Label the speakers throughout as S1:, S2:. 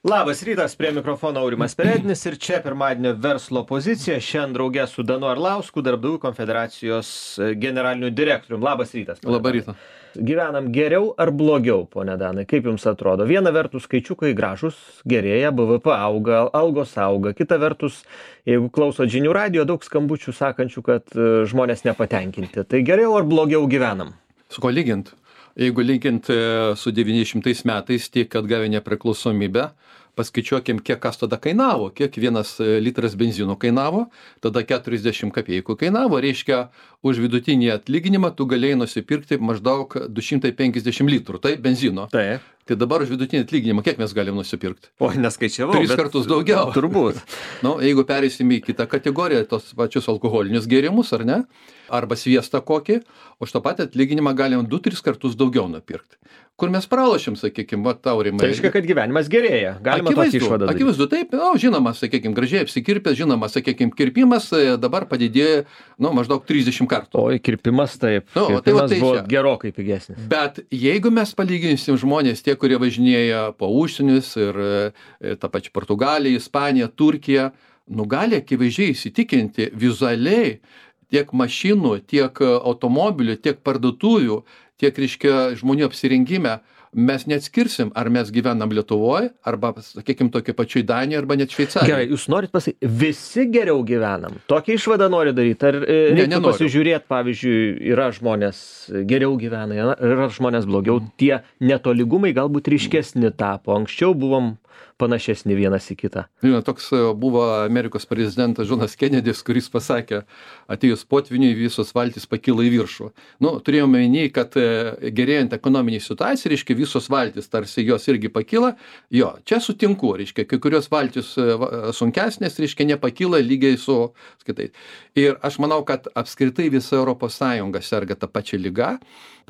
S1: Labas rytas, prie mikrofono Aurimas Perednis ir čia pirmadienio verslo pozicija. Šiandien draugė su Danu Arlausku, Darbdavių konfederacijos generaliniu direktoriumi. Labas rytas.
S2: Labą rytą.
S1: Gyvenam geriau ar blogiau, pone Danai, kaip jums atrodo? Viena vertus skaičiukai gražus, gerėja, BVP auga, algos auga. Kita vertus, jeigu klausot žinių radijo, daug skambučių sakančių, kad žmonės nepatenkinti. Tai geriau ar blogiau gyvenam?
S2: Su ko lygint? Jeigu lygint su 900 metais, tiek atgavę nepriklausomybę, paskaičiuokim, kiek kas tada kainavo, kiek vienas litras benzino kainavo, tada 40 kapeikų kainavo, reiškia, už vidutinį atlyginimą tu galėjai nusipirkti maždaug 250 litrų, tai benzino.
S1: Taip.
S2: Tai dabar už vidutinį atlyginimą kiek mes galim nusipirkti?
S1: O, neskaičiavau.
S2: 3 kartus daugiau.
S1: Turbūt.
S2: Jeigu perėsim į kitą kategoriją, tos pačius alkoholinius gėrimus, ar ne? Arba sviestą kokį, už tą patį atlyginimą galim 2-3 kartus daugiau nupirkti. Kur mes pralošim, sakykime, va, Aurimai.
S1: Tai reiškia, kad gyvenimas gerėja. Galima tokį išvadą daryti.
S2: Akivaizdu, taip, žinoma, sakykime, gražiai apsikirpęs, žinoma, sakykime, kirpimas dabar padidėjo, maždaug 30 kartų.
S1: Oi, kirpimas taip. Kirpimas buvo gerokai pigesnis.
S2: Bet jeigu mes palyginsim žmonės, tie, kurie važinėja po užsienius ir tą pačią Portugaliją, Ispaniją, Turkiją, gali akivaizdžiai įsitikinti vizualiai tiek mašinų, tiek automobilių, tiek parduotuvių, tiek, reiškia, žmonių apsirengime, mes neatskirsim, ar mes gyvenam Lietuvoje, arba, sakykime, tokia pačioj Danijoje, arba net Šveicarijoje.
S1: Gerai, jūs norit pasakyti, visi geriau gyvenam? Tokią išvadą nori daryti? Ar reikia pasižiūrėti, pavyzdžiui, yra žmonės geriau gyvena, yra žmonės blogiau, tie netolygumai galbūt ryškesni tapo, anksčiau buvom panašesni vienas į kitą.
S2: Toks buvo Amerikos prezidentas Džonas Kenedis, kuris pasakė, atėjus potviniui visos valtys pakilo į viršų. Turėjome minėjai, kad gerėjant ekonominiai situacijai, reiškia, visos valtys, tarsi jos irgi pakyla. Jo, čia sutinku, reiškia, kai kurios valtys sunkesnės, reiškia, nepakyla lygiai su skaitai. Ir aš manau, kad apskritai visa Europos Sąjunga serga tą pačią ligą,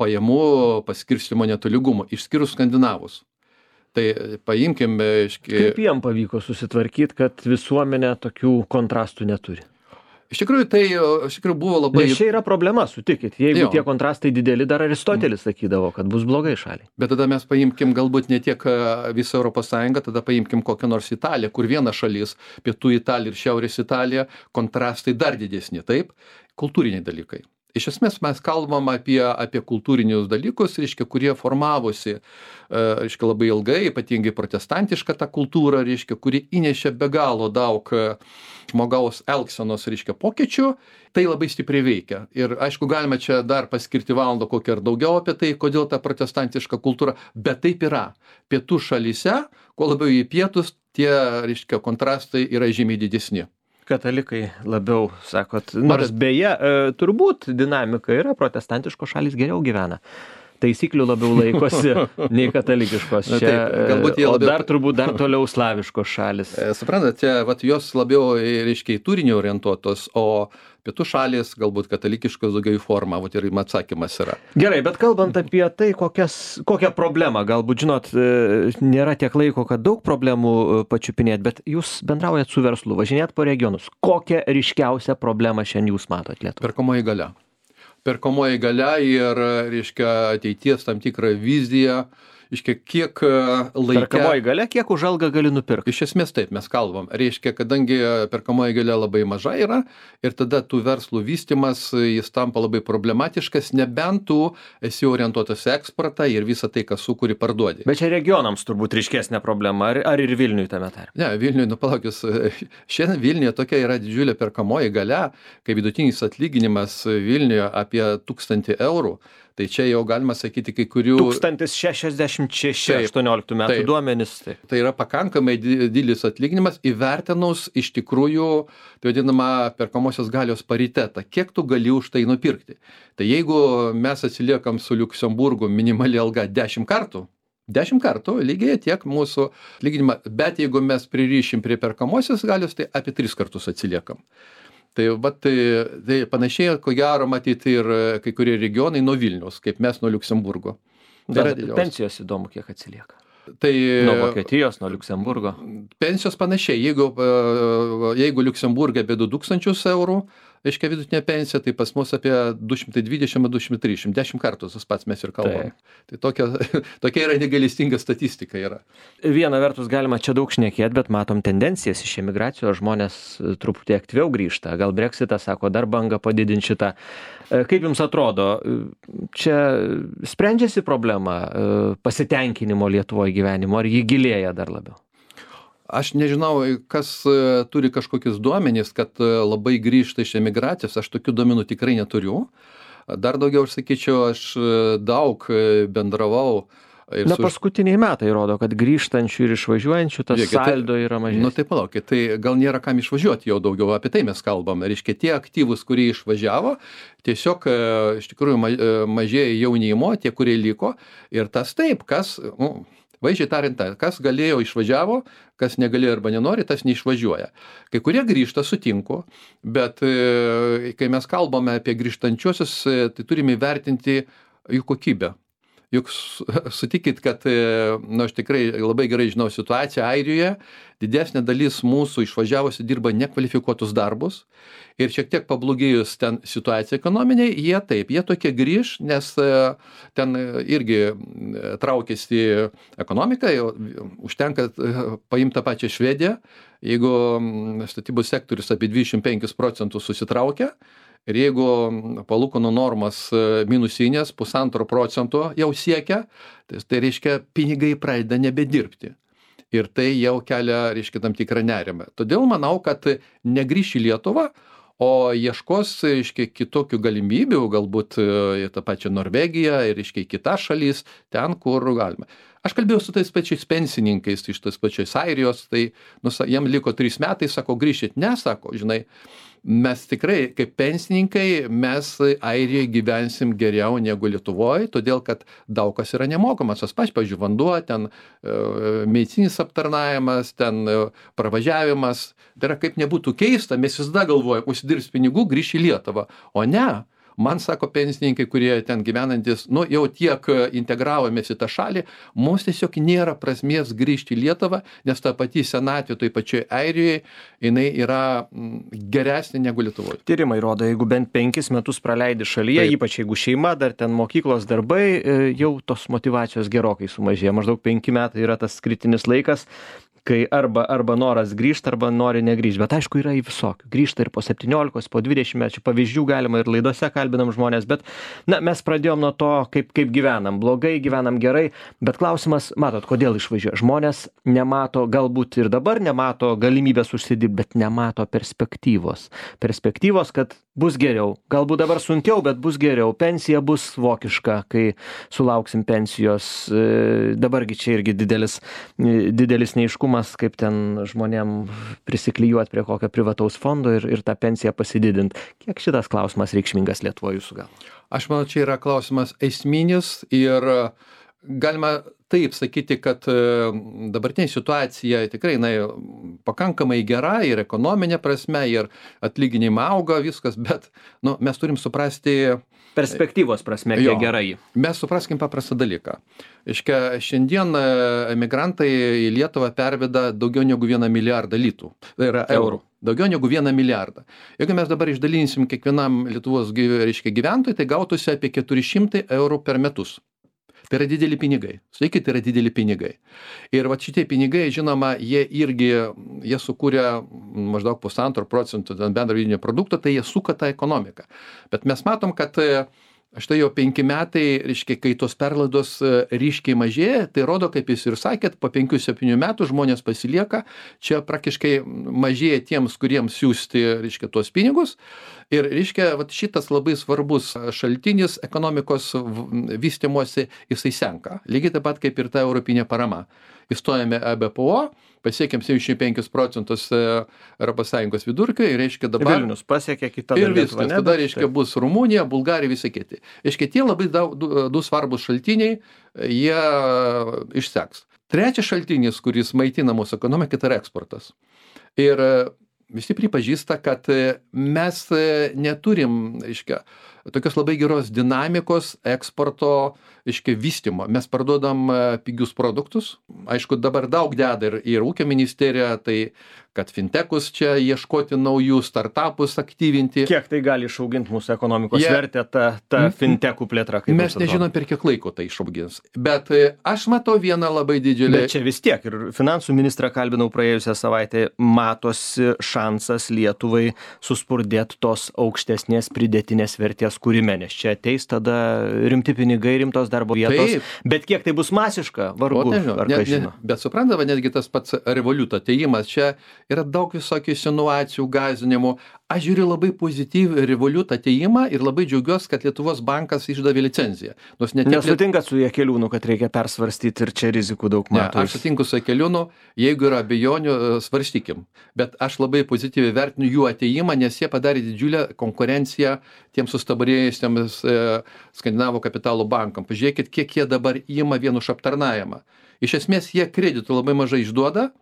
S2: pajamų paskirstymo netolygumo, išskyrus skandinavus. Tai paimkim,
S1: kaip jiem pavyko susitvarkyti, kad visuomenė tokių kontrastų neturi?
S2: Iš tikrųjų buvo labai...
S1: Nes čia yra problema, sutikit. Jeigu tie kontrastai dideli, dar Aristotelis sakydavo, kad bus blogai šaliai.
S2: Bet tada mes paimkim galbūt ne tiek visą Europos Sąjungą, tada paimkim kokią nors Italiją, kur viena šalis, pietų Italija ir šiaurės Italija, kontrastai dar didesni, taip? Kultūriniai dalykai. Iš esmės mes kalbam apie kultūrinius dalykus, reiškia, kurie formavosi, reiškia, labai ilgai, ypatingai protestantišką tą kultūrą, reiškia, kuri įnešė be galo daug žmogaus elgsenos, reiškia, pokyčių, tai labai stipriai veikia. Ir aišku, galime čia dar paskirti valandą kokią ar daugiau apie tai, kodėl ta protestantiška kultūra, bet taip yra. Pietų šalyse, kuo labiau į pietus, tie, reiškia, kontrastai yra žymiai didesni.
S1: Katalikai labiau, sakot, nors beje, turbūt dinamika yra, protestantiškos šalys geriau gyvena. Taisyklių labiau laikosi nei katalikiškos. O dar turbūt dar toliau slaviškos šalis.
S2: Suprantate, jos labiau, reiškia, į turinį orientuotos, o pietų šalis galbūt katalikiškos daugiau į formą, ir atsakymas yra.
S1: Gerai, bet kalbant apie tai, kokią problemą, galbūt, žinot, nėra tiek laiko, kad daug problemų pačiupinėt, bet jūs bendraujat su verslu, važinėt po regionus. Kokią ryškiausią problemą šiandien jūs matot Lietuvoje?
S2: Perkamoji galia. Perkamoji galia ir, reiškia, ateities tam tikrą viziją, reiškia, kiek laikia...
S1: Perkamoji galia, kiek už algą gali nupirkti?
S2: Iš esmės taip, mes kalbam. Reiškia, kadangi perkamoji galia labai maža yra ir tada tų verslų vystimas, jis tampa labai problematiškas, nebent tu esi orientuotas į eksportą ir visą tai, kas sukuri, parduodi.
S1: Bet čia regionams turbūt ryškesnė problema, ar ir Vilniui tame tarpe?
S2: Ne, Vilniui, palaukis, šiandien Vilniuje tokia yra didžiulė perkamoji galia, kai vidutinis atlyginimas Vilniuje apie 1000 eurų. Tai čia jau galima sakyti kai kurių...
S1: 1066 18 metų duomenys.
S2: Tai yra pakankamai didelis atlyginimas įvertinus iš tikrųjų, tai vadinama, perkamosios galios paritetą. Kiek tu gali už tai nupirkti? Tai jeigu mes atsiliekam su Liuksemburgu minimali alga 10 kartų, 10 kartų lygiai tiek mūsų atlyginimą, bet jeigu mes pririšim prie perkamosios galios, tai apie 3 kartus atsiliekam. Tai panašiai, ko gero, matyti ir kai kurie regionai nuo Vilniaus, kaip mes nuo Liuksemburgo.
S1: Pensijos įdomu, kiek atsilieka. Nuo Vokietijos, nuo Liuksemburgo.
S2: Pensijos panašiai. Jeigu Liuksemburgė apie 2000 eurų, reiškia vidutinė pensija, tai pas mus apie 220-230, 10 kartų tas pats mes ir kalbam. Tai tokia yra negailestinga statistika yra.
S1: Viena vertus galima čia daug šnekėti, bet matom tendencijas iš emigracijos, žmonės truputį aktyviau grįžta. Gal Brexitas, sako, dar banga padidinti šitą. Kaip jums atrodo, čia sprendžiasi problema pasitenkinimo Lietuvoje gyvenimo, ar jį gilėja dar labiau?
S2: Aš nežinau, kas turi kažkokius duomenys, kad labai grįžta iš emigracijos, aš tokių duomenų tikrai neturiu. Dar daugiau, aš sakyčiau, aš daug bendravau.
S1: Paskutiniai metai rodo, kad grįžtančių ir išvažiuojančių tas saldo yra mažesnis.
S2: Tai palaukit, tai gal nėra kam išvažiuoti jau daugiau, apie tai mes kalbam. Reiškia, tie aktyvūs, kurie išvažiavo, tiesiog iš tikrųjų mažėja jaunimo, tie, kurie liko. Ir tas taip, kas... Vaizdžiai tariant, kas galėjo išvažiavo, kas negalėjo arba nenori, tas neišvažiuoja. Kai kurie grįžta, sutinku, bet kai mes kalbame apie grįžtančiuosius, tai turime įvertinti jų kokybę. Juk sutikit, kad aš tikrai labai gerai žinau situaciją Airijoje, didesnė dalis mūsų išvažiavusi dirba nekvalifikuotus darbus ir šiek tiek pablogėjus ten situacija ekonominiai, jie tokie grįž, nes ten irgi traukiasi ekonomika, užtenka paimti tą pačią Švediją, jeigu statybų sektorius apie 25% susitraukia, ir jeigu palūkanų normas minusinės 1,5% jau siekia, tai reiškia pinigai pradeda nebedirbti. Ir tai jau kelia, reiškia, tam tikrą nerimą. Todėl manau, kad negrįš į Lietuvą, o ieškos, reiškia, kitokių galimybių, galbūt į tą pačią Norvegiją ir, reiškia, kitas šalis, ten, kur galima. Aš kalbėjau su tais pačiais pensininkais iš tos pačios Airijos, tai jam liko 3 metai, sako, grįžit, ne, sako, žinai, mes tikrai, kaip pensininkai, mes Airijoje gyvensim geriau negu Lietuvoje, todėl kad daug kas yra nemokamas. Pavyzdžiui, vanduo, ten medicinis aptarnavimas, ten pravažiavimas. Tai yra, kaip nebūtų keista, mes visada galvojame, užsidirbs pinigų, grįš į Lietuvą. O ne. Man sako pensininkai, kurie ten gyvenantis, jau tiek integravomės į tą šalį, mums tiesiog nėra prasmės grįžti į Lietuvą, nes ta pati senatvė toj pačioj Airijoje, jinai yra geresnė negu Lietuvoje.
S1: Tyrimai rodo, jeigu bent 5 metus praleidi šalyje, taip, ypač jeigu šeima, dar ten mokyklos darbai, jau tos motyvacijos gerokai sumažėja. Maždaug 5 metai yra tas kritinis laikas, kai arba noras grįžti, arba nori negrįžti. Bet aišku, yra į visokių. Grįžta ir po 17, po 20 metų. Pavyzdžių galima ir laidose kalbinam žmonės, bet mes pradėjom nuo to, kaip gyvenam. Blogai, gyvenam gerai, bet klausimas, matot, kodėl išvažiuoja. Žmonės nemato, galbūt ir dabar nemato galimybės užsidirbti, bet nemato perspektyvos. Perspektyvos, kad bus geriau. Galbūt dabar sunkiau, bet bus geriau. Pensija bus vokiška, kai sulauksim pensijos. Dabargi čia irgi didelis neiškumas, kaip ten žmonėm prisiklijuoti prie kokio privataus fondo ir tą pensiją pasididinti. Kiek šitas klausimas reikšmingas Lietuvoje jūsų galva?
S2: Aš manau, čia yra klausimas esminis ir galima taip sakyti, kad dabartinė situacija tikrai pakankamai gera ir ekonominė prasme, ir atlyginimai auga viskas, bet mes turim suprasti
S1: perspektyvos prasme, kiek gerai.
S2: Mes supraskim paprastą dalyką. Iškia, šiandien emigrantai į Lietuvą perveda daugiau negu 1 milijardą litų. Tai yra eurų. Daugiau negu 1 milijardą. Jeigu mes dabar išdalinsim kiekvienam Lietuvos gyventojui, tai gautųsi apie 400 eurų per metus. Tai yra dideli pinigai. Sakykit, tai yra dideli pinigai. Ir šitie pinigai, žinoma, jie sukūrė maždaug 1,5% bendro vidinio produkto, tai jie suka tą ekonomiką. Bet mes matom, kad štai jau 5 metai, reiškia, kai tos perlaidos ryškiai mažėja, tai rodo, kaip jūs ir sakėt, po 5-7 metų žmonės pasilieka, čia praktiškai mažėja tiems, kuriems siūsti, reiškia, tuos pinigus. Ir, reiškia, šitas labai svarbus šaltinis ekonomikos vystymosi, jisai senka. Lygiai taip pat kaip ir ta europinė parama. Įstojame EBPO, pasiekėm 75% ES vidurkio ir, reiškia, dabar...
S1: Vilnius pasiekė kitą
S2: ir viskas. Tada, reiškia, bus Rumunija, Bulgarija, visi kiti. Reiškia, tie labai du svarbus šaltiniai, jie išseks. Trečias šaltinis, kuris maitina mūsų ekonomiką, tai yra eksportas. Ir visi pripažįsta, kad mes neturim, reiškia, tokios labai geros dinamikos eksporto, vystymo. Mes parduodam pigius produktus. Aišku, dabar daug deda ir ūkio ministerija, tai kad fintechus čia ieškoti naujų startupus aktyvinti.
S1: Kiek tai gali išauginti mūsų ekonomikos vertę, ta fintechų plėtra?
S2: Mes nežinom, per kiek laiko tai išaugins. Bet aš matau vieną labai didžiulį...
S1: Bet čia vis tiek, ir finansų ministrą kalbinau praėjusią savaitę, matosi šansas Lietuvai suspurdėti tos aukštesnės pridėtinės vertės kūrime, nes čia ateis tada rimti pinigai, rimtos darbo vietos. Taip. Bet kiek tai bus masiška, vargu, ar ką žino.
S2: Bet suprantama, netgi tas pats Revolut atėjimas, čia yra daug visokių insinuacijų, gąsdinimų. Aš žiūriu labai pozityviai Revolut atėjimą ir labai džiaugiuosi, kad Lietuvos bankas išdavė licenciją.
S1: Nesutinkat su Jakeliūnu, kad reikia persvarstyti ir čia rizikų daug mato?
S2: Ne, aš sutinku su Jakeliūnu, jeigu yra abejonių, svarstykim. Bet aš labai pozityviai vertinu jų atėjimą, nes jie padarė didžiulę konkurenciją tiems sustabarėjusiems skandinavų kapitalo bankam. Pažiūrėkit, kiek jie dabar įima vien už aptarnavimą. Iš esmės jie kreditų labai mažai išduoda.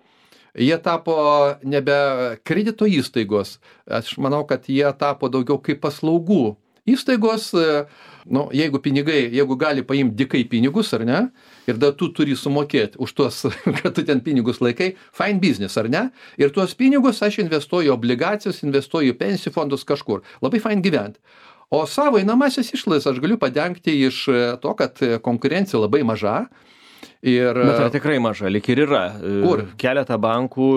S2: Jie tapo nebe kredito įstaigos. Aš manau, kad jie tapo daugiau kaip paslaugų įstaigos. Jeigu gali paimti dikai pinigus, ar ne, ir dar tu turi sumokėti už tuos, kad tu ten pinigus laikai, fine business, ar ne, ir tuos pinigus aš investuoju obligacijas, investuoju pensijų fondus kažkur. Labai fine gyventi. O savo einamąsias išlaidas aš galiu padengti iš to, kad konkurencija labai maža.
S1: Bet yra tikrai maža, lyg ir yra.
S2: Kur?
S1: Keletą bankų,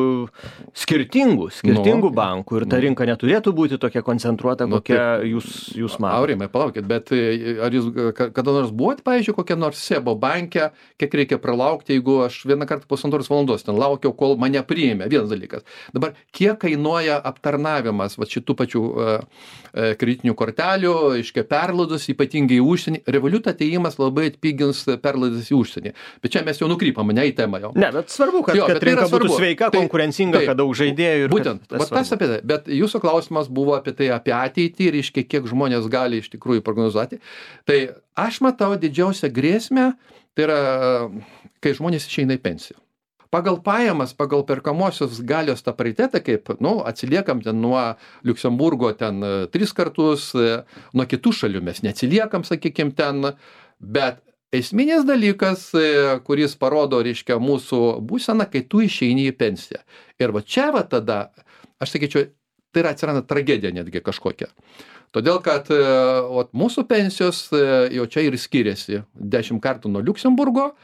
S1: skirtingų bankų, ir ta rinka neturėtų būti tokia koncentruota, kokia jūs matote.
S2: Aurimai, palaukit, bet ar jūs kada nors buvote, pavyzdžiui, kokia nors SEBO banke, kiek reikia pralaukti, jeigu aš vieną kartą 1,5 valandos ten laukiau, kol mane priėmė, vienas dalykas. Dabar, kiek kainuoja aptarnavimas šitų pačių kreditinių kortelių, perlaidus, ypatingai į užsienį. Revolut atėjimas labai atpigins perlaidas į užsienį. Bet čia mes jau nukrypam, ne į temą jau.
S1: Ne, bet svarbu, kad rinka būtų sveika, konkurencinga, kad daug žaidėjų.
S2: Būtent, tas apie tai. Bet jūsų klausimas buvo apie tai, apie ateitį ir kiek žmonės gali iš tikrųjų prognozuoti. Tai aš matau didžiausią grėsmę, tai yra, kai žmonės išeina į pensiją. Pagal pajamas, pagal perkamosios galios tą paritetą, kaip, atsiliekam ten nuo Liuksemburgo ten 3 kartus, nuo kitų šalių mes neatsiliekam, sakykim, ten, bet esminis dalykas, kuris parodo, reiškia, mūsų būseną, kai tu išeini į pensiją. Ir čia tada, aš sakyčiau, tai atsiranda tragedija netgi kažkokia. Todėl, kad mūsų pensijos jau čia ir skiriasi 10 kartų nuo Liuksemburgo.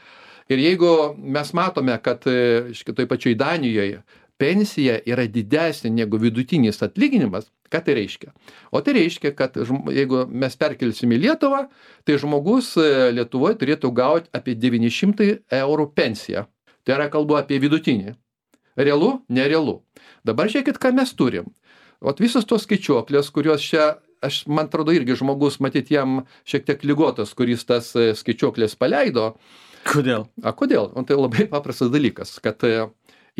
S2: Ir jeigu mes matome, kad toj pačioj Danijoje pensija yra didesnė negu vidutinis atlyginimas, ką tai reiškia? O tai reiškia, kad jeigu mes perkelsim į Lietuvą, tai žmogus Lietuvoje turėtų gauti apie 900 eurų pensiją. Tai yra kalbu apie vidutinį. Realu? Nerealu. Dabar žiūrėkit, ką mes turim. Visos tos skaičiuoklės, kurios čia, man atrodo, irgi žmogus, matyt, jam šiek tiek ligotas, kuris tas skaičiuoklės paleido.
S1: Kodėl?
S2: Kodėl? Tai labai paprastas dalykas, kad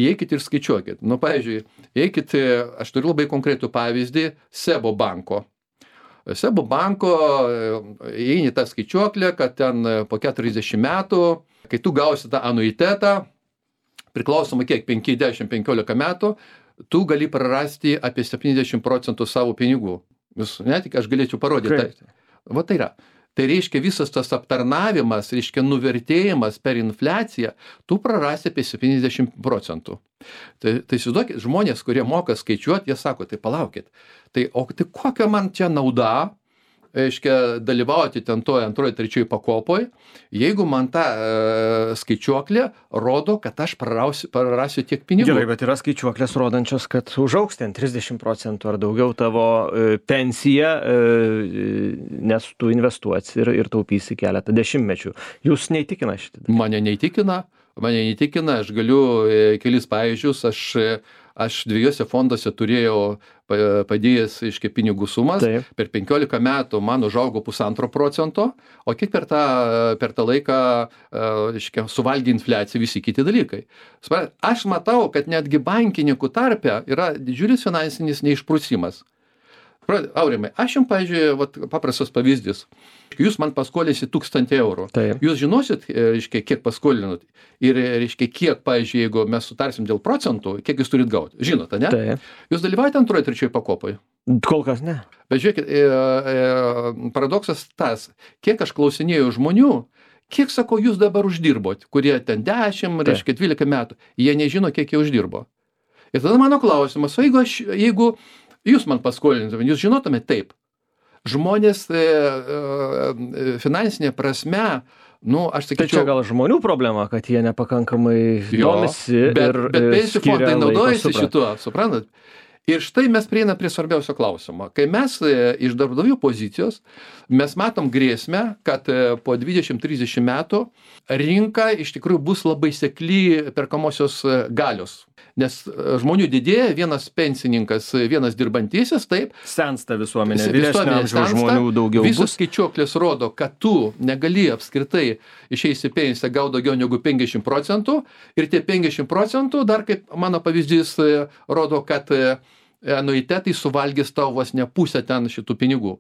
S2: įeikit ir skaičiuokit. Pavyzdžiui, įeikit, aš turiu labai konkretų pavyzdį, SEBO banko. SEBO banko įeini tą skaičiuoklę, kad ten po 40 metų, kai tu gausi tą anuitetą, priklausomai kiek, 5-10-15 metų, tu gali prarasti apie 70% savo pinigų. Netik, aš galėčiau parodyti. Tai yra. Tai reiškia visas tas aptarnavimas, reiškia nuvertėjimas per infliaciją, tu prarasi apie 70%. Tai įsivaizduokit, žmonės, kurie moka skaičiuoti, jie sako, tai palaukit, tai kokia man čia nauda, reiškia, dalyvauti ten toje antroje, trečioje pakopoje, jeigu man ta skaičiuoklė rodo, kad aš prarasiu tiek pinigų.
S1: Gerai, bet yra skaičiuoklės rodančios, kad užaugs ten 30% ar daugiau tavo pensija, nes tu investuosi ir taupysi keletą dešimtmečių. Jūs neįtikina šitą?
S2: Mane neįtikina, aš galiu kelis pavyzdžius, aš 2 fonduose turėjau padėjęs pinigų sumas.
S1: Taip.
S2: Per 15 metų man užaugo 1,5%, o kiek per tą laiką suvalgė infliaciją visi kiti dalykai. Aš matau, kad netgi bankininkų tarpe yra didžiulis finansinis neišprusimas. Aurimai, aš jums, pavyzdžiui, vat, paprastas pavyzdys. Jūs man paskolinsit 1000 eurų.
S1: Taip.
S2: Jūs žinosit, reiškia, kiek paskolinot ir, reiškia, kiek, pavyzdžiui, jeigu mes sutarsim dėl procentų, kiek jūs turit gauti. Žinote, ne?
S1: Taip.
S2: Jūs dalyvaujate antroje, trečioje pakopoje?
S1: Kol kas ne.
S2: Bet žiūrėkit, paradoksas tas, kiek aš klausinėjau žmonių, kiek, sako, jūs dabar uždirbot, kurie ten 10, reiškia, 12 metų, jie nežino, kiek jie uždirbo. Ir tada mano klausimas, o jeigu jūs man paskolintumėte, jūs žinotumėte taip. Žmonės finansinė prasme, nu, aš sakyčiau...
S1: Tai čia gal žmonių problema, kad jie nepakankamai domisi
S2: bet pensijų fondai naudojasi
S1: šituo.
S2: šituo, suprantat? Ir štai mes prieinam prie svarbiausio klausimo. Kai mes iš darbdavių pozicijos, mes matom grėsmę, kad po 20-30 metų rinka iš tikrųjų bus labai sekli perkamosios galios. Nes žmonių didėja, vienas pensininkas, vienas dirbantysis, taip.
S1: Sensta visuomenė, vyresnio amžiaus žmonių daugiau bus.
S2: Visos skaičiuoklės rodo, kad tu negali apskritai išeisi pensiją gauti daugiau negu 50% ir tie 50% dar, kaip mano pavyzdys rodo, kad anuitetai suvalgys tau vos ne pusę ten šitų pinigų.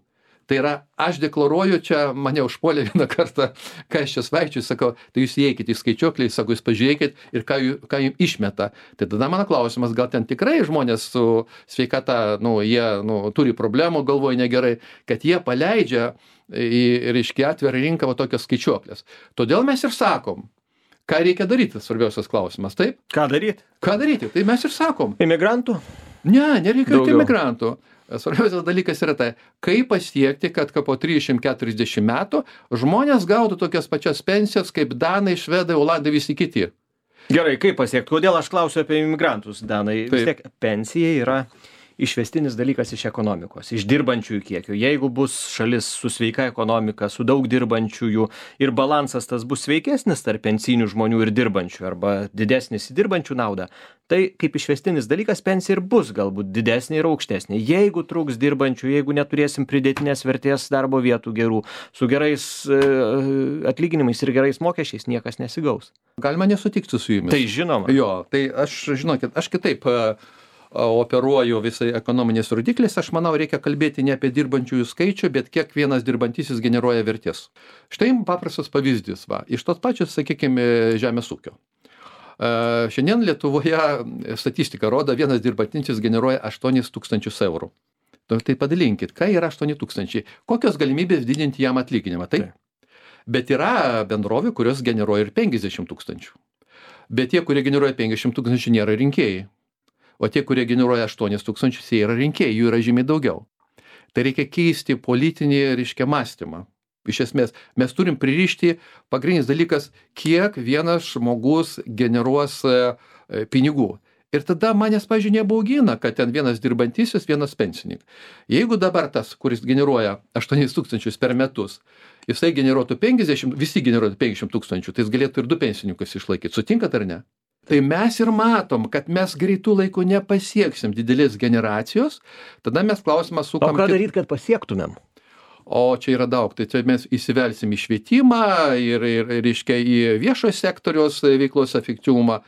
S2: Tai yra, aš deklaruoju, čia mane užpuolė vieną kartą, ką aš čia svaičiu, sakau, tai jūs įeikit į skaičiuoklį, sakau, jūs pažiūrėkit ir ką jums išmeta. Tai tada mano klausimas, gal ten tikrai žmonės su sveikata, nu, jie turi problemų, galvoja negerai, kad jie paleidžia reiškia atvirą rinką va tokios skaičiuoklės. Todėl mes ir sakom, ką reikia daryti, svarbiausias klausimas, taip?
S1: Ką daryti?
S2: Ką daryti? Tai mes ir sakom.
S1: Imigrantų?
S2: Ne, nereikia jokių imigrantų. Svarbiausias dalykas yra tai, kaip pasiekti, kad po 30-40 metų žmonės gautų tokias pačias pensijas, kaip danai, švedai, olandai, visi kiti.
S1: Gerai, kaip pasiekti? Kodėl aš klausiu apie imigrantus, danai? Vis tiek pensija yra išvestinis dalykas iš ekonomikos, iš dirbančiųjų kiekio. Jeigu bus šalis su sveika ekonomika, su daug dirbančiųjų ir balansas tas bus sveikesnis tarp pensinių žmonių ir dirbančių arba didesnis į dirbančių naudą, tai kaip išvestinis dalykas pensija ir bus galbūt didesnė ir aukštesnė. Jeigu trūks dirbančių, jeigu neturėsim pridėtinės vertės darbo vietų gerų, su gerais atlyginimais ir gerais mokesčiais, niekas nesigaus.
S2: Galima nesutikti su jumis.
S1: Tai žinoma.
S2: Jo, tai aš, žinokit, aš kitaip operuoju visai ekonominės rodiklis, aš manau, reikia kalbėti ne apie dirbančiųjų skaičių, bet kiek vienas dirbantysis generuoja vertės. Štai paprastas pavyzdys, va, iš tos pačios, sakykime, žemės ūkio. Šiandien Lietuvoje statistika rodo, vienas dirbantysis generuoja 8000 eurų. Tai padalinkit, ką yra 8000, kokios galimybės didinti jam atlyginimą, taip? Bet yra bendrovių, kurios generuoja ir 50 000. Bet tie, kurie generuoja 50 000, nėra rinkėjai. O tie, kurie generuoja 8000, jie yra rinkėjai, jų yra žymiai daugiau. Tai reikia keisti politinį, reiškia, mąstymą. Iš esmės, mes turim pririšti pagrindinis dalykas, kiek vienas žmogus generuos pinigų. Ir tada manęs, pavyzdžiui, nebaugina, kad ten vienas dirbantysis, vienas pensininkas. Jeigu dabar tas, kuris generuoja 8000 per metus, jisai generuotų 50, visi generuotų 50 000, tai jis galėtų ir 2 pensininkus išlaikyti. Sutinkat ar ne? Tai mes ir matom, kad mes greitų laikų nepasieksim didelės generacijos, tada mes klausimą sukam...
S1: O ką daryti, kad pasiektumėm?
S2: O čia yra daug, tai čia mes įsivelsim į švietimą ir reiškia, į viešojo sektoriaus veiklos efektyvumą.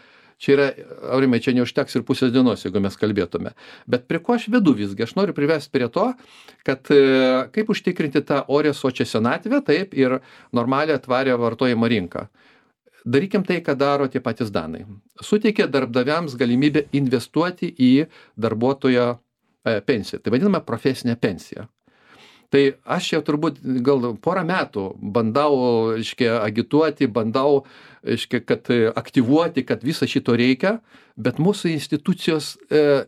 S2: Čia yra, Aurimai, čia neužteks ir pusės dienos, jeigu mes kalbėtume. Bet prie ko aš vedu visgi? Aš noriu privesti prie to, kad kaip užtikrinti tą orę sočią senatvę, taip ir normalią tvarę vartojimo rinką. Darykim tai, ką daro tie patys danai. Suteikia darbdaviams galimybę investuoti į darbuotojo pensiją. Tai vadinama profesinė pensija. Tai aš jau turbūt gal porą metų bandau, reiškia, agituoti, bandau, reiškia, kad aktyvuoti, kad viso šito reikia, bet mūsų institucijos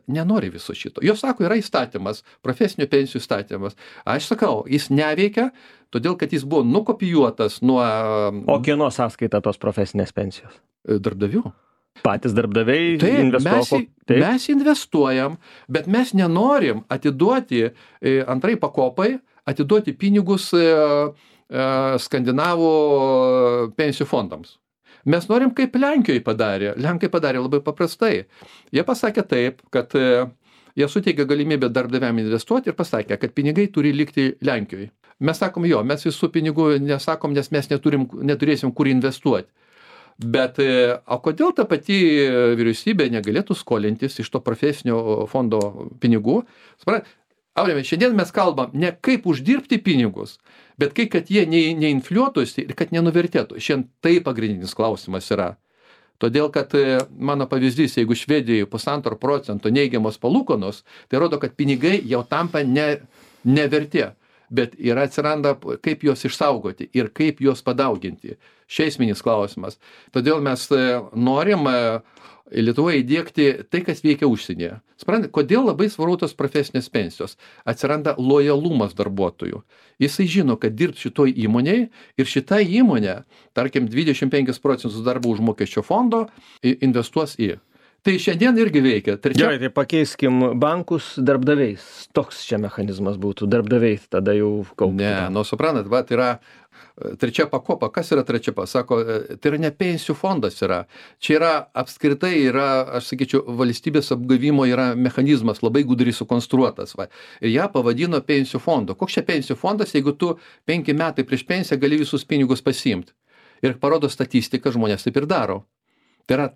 S2: nenori viso šito. Jos sako, yra įstatymas, profesinių pensijų įstatymas. Aš sakau, jis neveikia, todėl, kad jis buvo nukopijuotas nuo...
S1: O kieno sąskaita tos profesinės pensijos?
S2: Darbdavių.
S1: Patys darbdaviai
S2: investuoja. Mes investuojam, bet mes nenorim atiduoti antrai pakopai, atiduoti pinigus skandinavų pensijų fondams. Mes norim, kaip Lenkijoje padarė. Lenkai padarė labai paprastai. Jie pasakė taip, kad jie suteikė galimybę darbdaviam investuoti ir pasakė, kad pinigai turi likti Lenkijoje. Mes sakom, jo, mes visų pinigų nesakom, nes mes neturėsim kur investuoti. Bet o kodėl ta pati vyriausybė negalėtų skolintis iš to profesinio fondo pinigų? Aurimai, šiandien mes kalbam ne kaip uždirbti pinigus, bet kaip, kad jie neinfliuotųsi ir kad nenuvertėtų. Šiandien tai pagrindinis klausimas yra. Todėl, kad mano pavyzdys, jeigu Švedijoje 1,5% neigiamos palūkanos, tai rodo, kad pinigai jau tampa nevertė. Bet yra atsiranda, kaip juos išsaugoti ir kaip juos padauginti. Šia esminis klausimas. Todėl mes norim Lietuvoje įdiegti tai, kas veikia užsienyje. Suprantate, kodėl labai svarbu tos profesinės pensijos? Atsiranda lojalumas darbuotojų. Jisai žino, kad dirbs šitoj įmonėje ir šita įmonė, tarkim, 25% darbo užmokesčio fondo investuos į. Tai šiandien irgi veikia.
S1: Gerai, tai pakeiskim bankus darbdaviais. Toks čia mechanizmas būtų. Darbdaviai tada jau kauptų.
S2: Ne, suprantat, va, tai yra trečia pakopa. Kas yra trečia pakopa? Sako, tai yra ne pensijų fondas yra. Čia yra apskritai, aš sakyčiau, valstybės apgavimo yra mechanizmas labai gudriai sukonstruotas. Va. Ir ją pavadino pensijų fondo. Koks čia pensijų fondas, jeigu tu 5 metai prieš pensiją gali visus pinigus pasiimti? Ir parodo statistiką, žmonės taip ir daro. Tai yra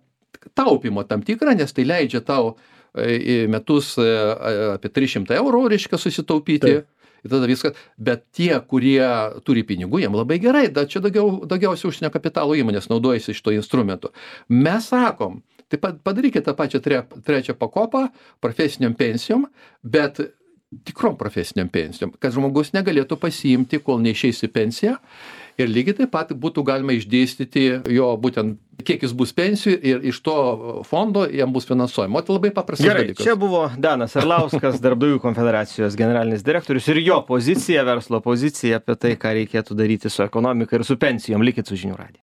S2: taupimo tam tikrą, nes tai leidžia tau į metus apie 300 eurų, reiškia, susitaupyti. Taip. Ir tada viskas. Bet tie, kurie turi pinigų, jiem labai gerai. Čia daugiausiai užsienio kapitalo įmonės naudojasi šito instrumentu. Mes sakom, tai padarykite tą pačią trečią pakopą profesiniam pensijom, bet tikrom profesiniam pensijom, kad žmogus negalėtų pasiimti, kol neišeis į pensiją. Ir lygiai taip pat būtų galima išdėstyti jo būtent, kiek jis bus pensijų ir iš to fondo jam bus finansuojama. O tai labai paprastas dalykas.
S1: Čia buvo Danas Arlauskas, Darbdavių konfederacijos generalinis direktorius ir jo pozicija, verslo pozicija apie tai, ką reikėtų daryti su ekonomika ir su pensijom. Likit su žinių radiju.